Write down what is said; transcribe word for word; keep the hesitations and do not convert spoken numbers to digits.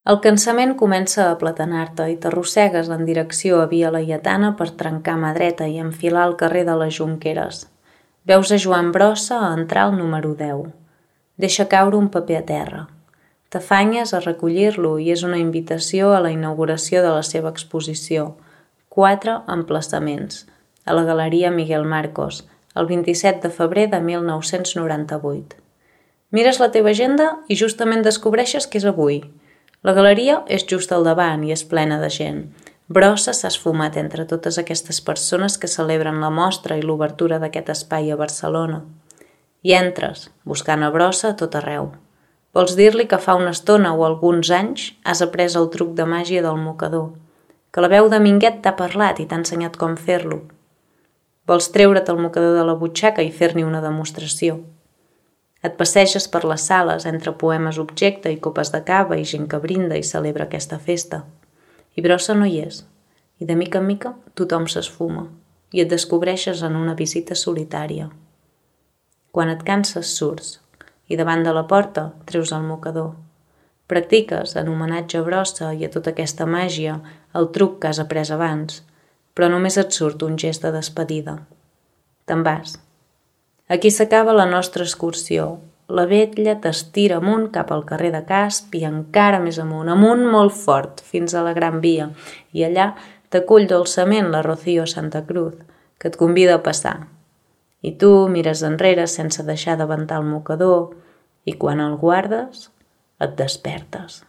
El cansament comença a platanar-te i t'arrossegues en direcció a Via Laietana per trencar mà dreta i enfilar el carrer de les Jonqueres. Veus a Joan Brossa a entrar al número deu. Deixa caure un paper a terra. T'afanyes a recollir-lo i és una invitació a la inauguració de la seva exposició. Quatre emplaçaments. A la Galeria Miguel Marcos, el vint-i-set de febrer de mil nou-cents noranta-vuit. Mires la teva agenda i justament descobreixes que és avui. La galeria és just al davant i és plena de gent. Brossa s'ha esfumat entre totes aquestes persones que celebren la mostra i l'obertura d'aquest espai a Barcelona. I entres, buscant a Brossa a tot arreu. Vols dir-li que fa una estona o alguns anys has après el truc de màgia del mocador, que la veu de Minguet t'ha parlat i t'ha ensenyat com fer-lo. Vols treure't el mocador de la butxaca i fer-n'hi una demostració. Et passeges per les sales entre poemes objecte i copes de cava i gent que brinda i celebra aquesta festa. I Brossa no hi és. I de mica en mica tothom s'esfuma i et descobreixes en una visita solitària. Quan et canses surts i davant de la porta treus el mocador. Practiques en homenatge a Brossa i a tota aquesta màgia el truc que has après abans, però només et surt un gest de despedida. Te'n vas. Aquí s'acaba la nostra excursió. La vetlla t'estira amunt cap al carrer de Casp i encara més amunt, amunt molt fort, fins a la Gran Via, i allà t'acull dolçament la Rocío Santa Cruz, que et convida a passar. I tu mires enrere sense deixar de ventar el mocador i quan el guardes et despertes.